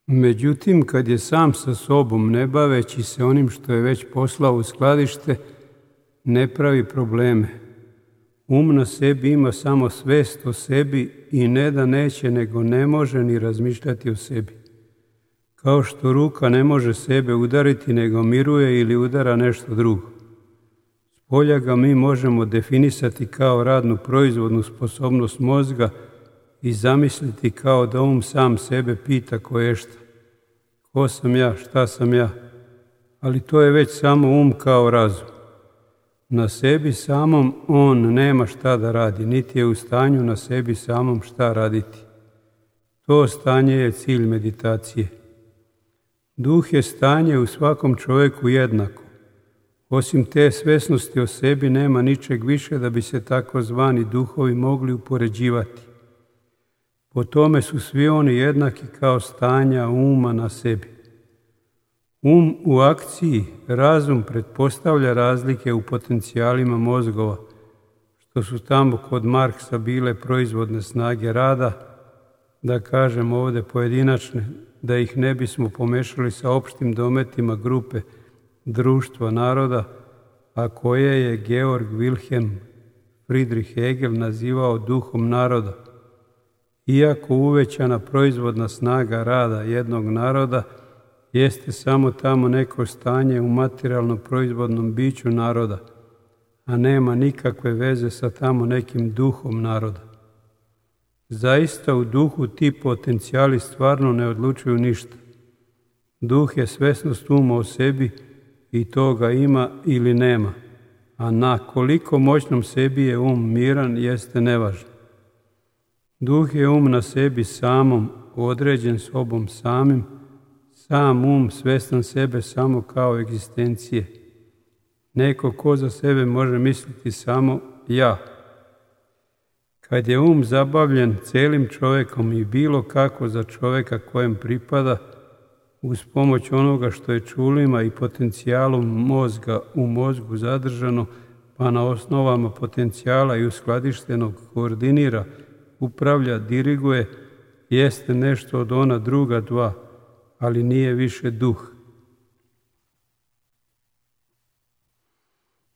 Međutim, kad je sam sa sobom, ne baveći se onim što je već poslao u skladište, ne pravi probleme. Um na sebi ima samo svest o sebi i ne da neće, nego ne može ni razmišljati o sebi. Kao što ruka ne može sebe udariti, nego miruje ili udara nešto drugo. Spolja ga mi možemo definisati kao radnu proizvodnu sposobnost mozga i zamisliti kao da sam sebe pita koješta. Ko sam ja, šta sam ja? Ali to je već samo kao razum. Na sebi samom on nema šta da radi, niti je u stanju na sebi samom šta raditi. To stanje je cilj meditacije. Duh je stanje u svakom čovjeku jednako. Osim te svesnosti o sebi nema ničeg više da bi se takozvani duhovi mogli upoređivati. Po tome su svi oni jednaki kao stanja uma na sebi. U akciji, razum pretpostavlja razlike u potencijalima mozgova, što su tamo kod Marksa bile proizvodne snage rada, da kažem ovdje pojedinačne, da ih ne bismo pomešali sa opštim dometima grupe društva naroda, a koje je Georg Wilhelm Friedrich Hegel nazivao duhom naroda. Iako uvećana proizvodna snaga rada jednog naroda jeste samo tamo neko stanje u materijalno proizvodnom biću naroda, a nema nikakve veze sa tamo nekim duhom naroda. Zaista u duhu ti potencijali stvarno ne odlučuju ništa. Duh je svesnost uma o sebi i toga ima ili nema, a na koliko moćnom sebi je miran jeste nevažno. Duh je na sebi samom, određen sobom samim, sam svestan sebe samo kao egzistencije. Neko ko za sebe može misliti samo ja. Kad je zabavljen celim čovjekom i bilo kako za čovjeka kojem pripada, uz pomoć onoga što je čulima i potencijalom mozga u mozgu zadržano, pa na osnovama potencijala i uskladištenog koordinira, upravlja, diriguje, jeste nešto od ona druga dva, ali nije više duh.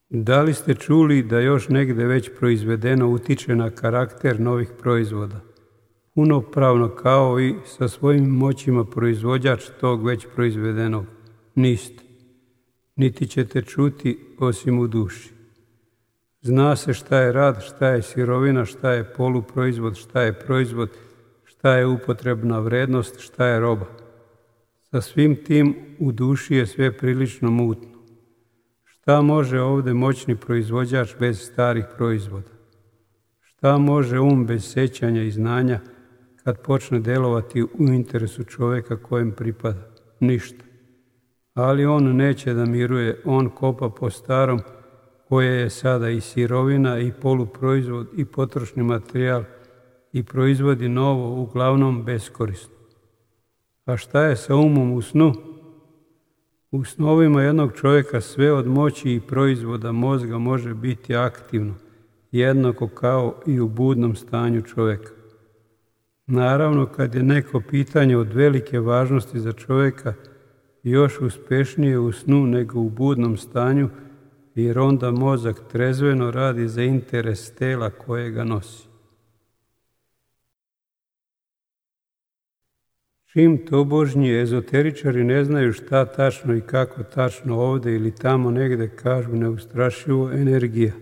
Da li ste čuli da još negdje već proizvedeno utiče na karakter novih proizvoda? Punopravno kao i sa svojim moćima proizvođač tog već proizvedenog? Niste. Niti ćete čuti osim u duši. Zna se šta je rad, šta je sirovina, šta je poluproizvod, šta je proizvod, šta je upotrebna vrednost, šta je roba. Sa svim tim u duši je sve prilično mutno. Šta može ovdje moćni proizvođač bez starih proizvoda? Šta može bez sećanja i znanja kad počne delovati u interesu čovjeka kojem pripada? Ništa. Ali on neće da miruje, on kopa po starom, koje je sada i sirovina i poluproizvod i potrošni materijal i proizvodi novo, uglavnom beskorisno. A šta je sa u snu? U snovima jednog čovjeka sve od moći i proizvoda mozga može biti aktivno, jednako kao i u budnom stanju čovjeka. Naravno, kad je neko pitanje od velike važnosti za čovjeka, još uspješnije u snu nego u budnom stanju, jer onda mozak trezveno radi za interes tela koje ga nosi. Čim tobožnji ezoteričari ne znaju šta tačno i kako tačno ovdje ili tamo negdje kažu neustrašivo energija,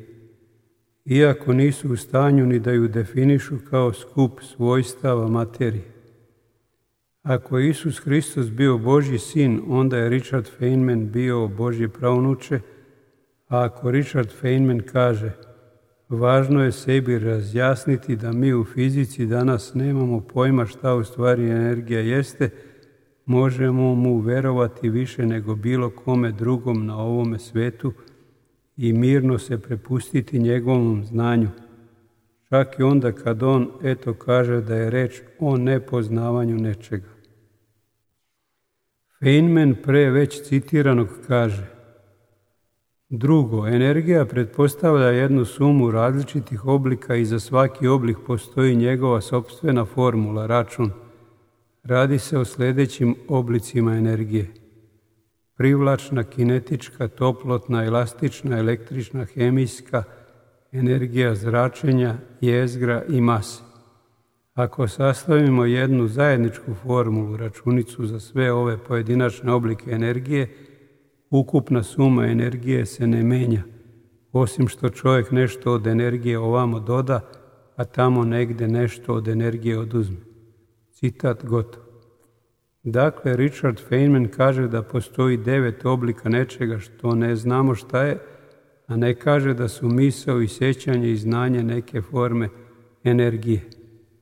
iako nisu u stanju ni da ju definišu kao skup svojstava materije. Ako je Isus Hristos bio Božji sin, onda je Richard Feynman bio Božje pravnuče, a ako Richard Feynman kaže važno je sebi razjasniti da mi u fizici danas nemamo pojma šta u stvari energija jeste, možemo mu verovati više nego bilo kome drugom na ovome svetu i mirno se prepustiti njegovom znanju. Čak i onda kad on kaže da je reč o nepoznavanju nečega. Feynman pre već citiranog kaže: drugo, energija pretpostavlja jednu sumu različitih oblika i za svaki oblik postoji njegova sopstvena formula, račun. Radi se o sljedećim oblicima energije: privlačna, kinetička, toplotna, elastična, električna, hemijska, energija zračenja, jezgra i mase. Ako sastavimo jednu zajedničku formulu, računicu za sve ove pojedinačne oblike energije, ukupna suma energije se ne menja, osim što čovjek nešto od energije ovamo doda, a tamo negdje nešto od energije oduzme. Citat gotov. Dakle, Richard Feynman kaže da postoji 9 oblika nečega što ne znamo šta je, a ne kaže da su misao i sjećanje i znanje neke forme energije,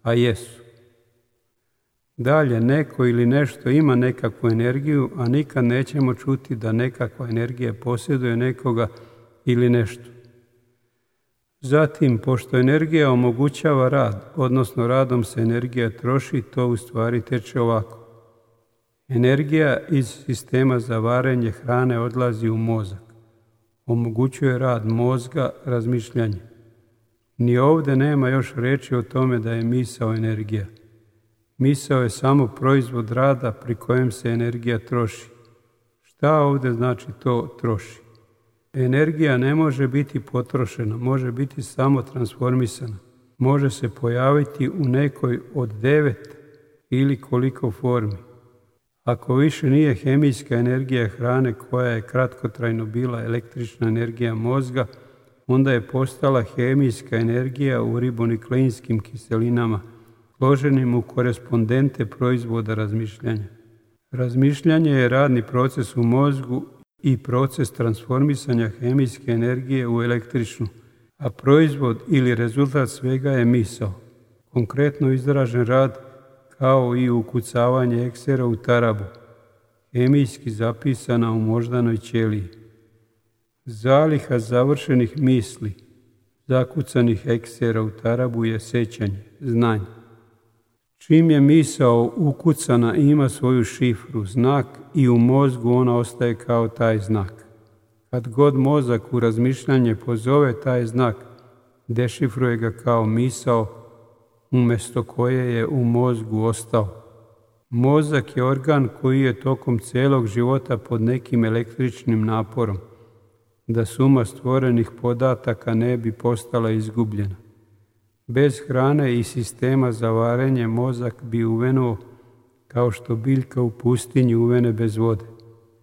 a jesu. Dalje, neko ili nešto ima nekakvu energiju, a nikad nećemo čuti da nekakva energija posjeduje nekoga ili nešto. Zatim, pošto energija omogućava rad, odnosno radom se energija troši, to u stvari teče ovako. Energija iz sistema za varenje hrane odlazi u mozak. Omogućuje rad mozga, razmišljanje. Ni ovdje nema još riječi o tome da je misao energija. Misao je samo proizvod rada pri kojem se energija troši. Šta ovdje znači to troši? Energija ne može biti potrošena, može biti samo transformisana. Može se pojaviti u nekoj od 9 ili koliko formi. Ako više nije hemijska energija hrane koja je kratkotrajno bila električna energija mozga, onda je postala hemijska energija u ribonukleinskim kiselinama, složenim u korespondente proizvoda razmišljanja. Razmišljanje je radni proces u mozgu i proces transformisanja hemijske energije u električnu, a proizvod ili rezultat svega je misao, konkretno izražen rad kao i ukucavanje eksera u tarabu, hemijski zapisana u moždanoj ćeliji. Zaliha završenih misli, zakucanih eksera u tarabu je sjećanje, znanje. Čim je misao ukucana ima svoju šifru, znak i u mozgu ona ostaje kao taj znak. Kad god mozak u razmišljanje pozove taj znak, dešifruje ga kao misao umjesto koje je u mozgu ostao. Mozak je organ koji je tokom cijelog života pod nekim električnim naporom, da suma stvorenih podataka ne bi postala izgubljena. Bez hrane i sistema za varenje mozak bi uvenuo kao što biljka u pustinji uvene bez vode.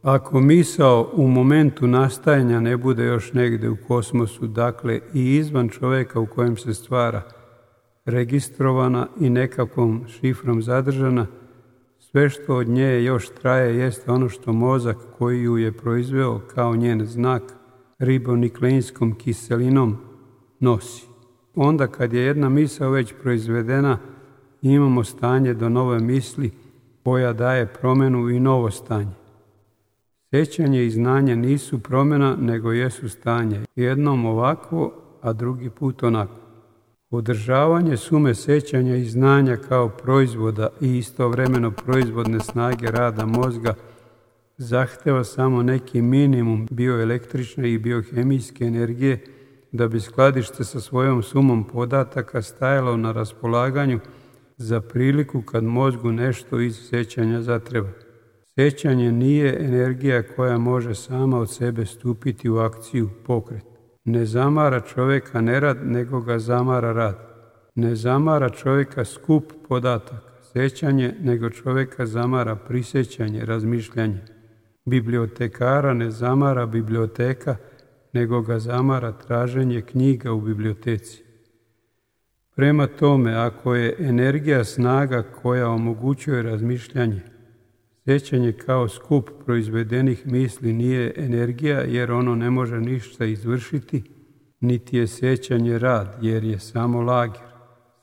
Ako misao u momentu nastajanja ne bude još negdje u kosmosu, dakle i izvan čovjeka u kojem se stvara, registrovana i nekakvom šifrom zadržana, sve što od nje još traje jeste ono što mozak koji ju je proizveo kao njen znak ribonukleinskom kiselinom nosi. Onda kad je jedna misao već proizvedena, imamo stanje do nove misli koja daje promjenu i novo stanje. Sjećanje i znanje nisu promjena, nego jesu stanje. Jednom ovako, a drugi put onako. Održavanje sume sjećanja i znanja kao proizvoda i istovremeno proizvodne snage rada mozga zahteva samo neki minimum bioelektrične i biohemijske energije da bi skladište sa svojom sumom podataka stajalo na raspolaganju za priliku kad mozgu nešto iz sjećanja zatreba. Sjećanje nije energija koja može sama od sebe stupiti u akciju, pokret. Ne zamara čovjeka nerad, nego ga zamara rad. Ne zamara čovjeka skup podataka, sjećanje, nego čovjeka zamara prisjećanje, razmišljanje. Bibliotekara ne zamara biblioteka, nego ga zamara traženje knjiga u biblioteci. Prema tome, ako je energija snaga koja omogućuje razmišljanje, sjećanje kao skup proizvedenih misli nije energija jer ono ne može ništa izvršiti, niti je sjećanje rad jer je samo lager,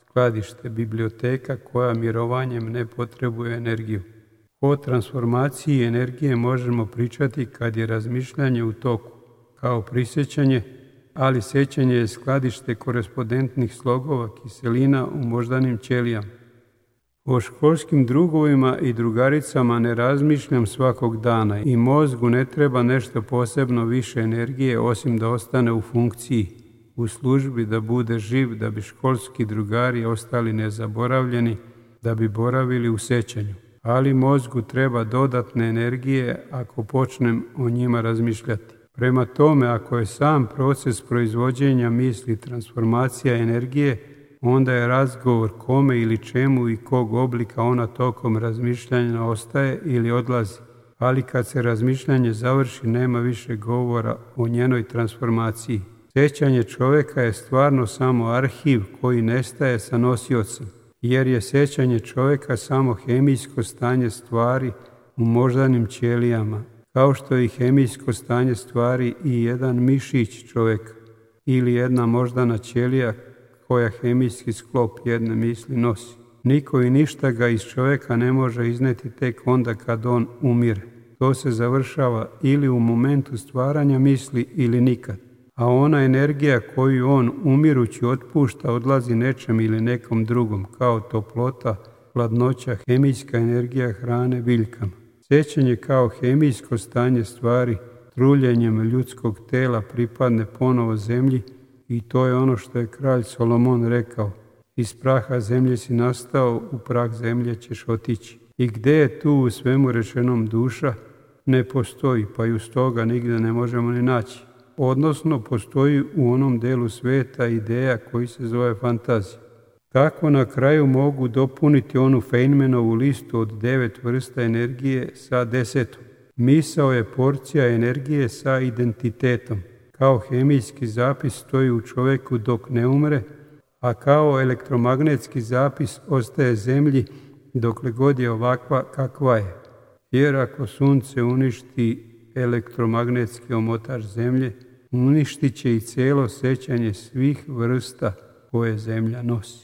skladište, biblioteka koja mirovanjem ne potrebuje energiju. O transformaciji energije možemo pričati kad je razmišljanje u toku, kao prisjećanje, ali sjećanje je skladište korespondentnih slogova kiselina u moždanim ćelijama. O školskim drugovima i drugaricama ne razmišljam svakog dana i mozgu ne treba nešto posebno više energije osim da ostane u funkciji, u službi, da bude živ, da bi školski drugari ostali nezaboravljeni, da bi boravili u sjećanju. ali mozgu treba dodatne energije ako počnem o njima razmišljati. Prema tome, ako je sam proces proizvođenja misli transformacija energije, onda je razgovor kome ili čemu i kog oblika ona tokom razmišljanja ostaje ili odlazi. Ali kad se razmišljanje završi, nema više govora o njenoj transformaciji. Sjećanje čovjeka je stvarno samo arhiv koji nestaje sa nosiocem, jer je sjećanje čovjeka samo hemijsko stanje stvari u moždanim ćelijama, kao što je i hemijsko stanje stvari i jedan mišić čovjeka ili jedna moždana ćelija koja hemijski sklop jedne misli nosi. Niko i ništa ga iz čovjeka ne može izneti tek onda kad on umire. To se završava ili u momentu stvaranja misli ili nikad. A ona energija koju on umirući otpušta odlazi nečem ili nekom drugom, kao toplota, hladnoća, hemijska energija hrane biljkama. Sjećanje kao hemijsko stanje stvari truljenjem ljudskog tela pripadne ponovo zemlji i to je ono što je kralj Solomon rekao: iz praha zemlje si nastao, u prah zemlje ćeš otići. I gdje je tu u svemu rečenom duša? Ne postoji, pa ju stoga nigdje ne možemo ni naći. Odnosno, postoji u onom delu svijeta ideja koji se zove fantazija. Tako na kraju mogu dopuniti onu Feynmanovu listu od 9 vrsta energije sa 10. Misao je porcija energije sa identitetom. Kao hemijski zapis stoji u čovjeku dok ne umre, a kao elektromagnetski zapis ostaje zemlji dokle god je ovakva kakva je. Jer ako sunce uništi elektromagnetski omotač zemlje, uništit će i cijelo sjećanje svih vrsta koje zemlja nosi.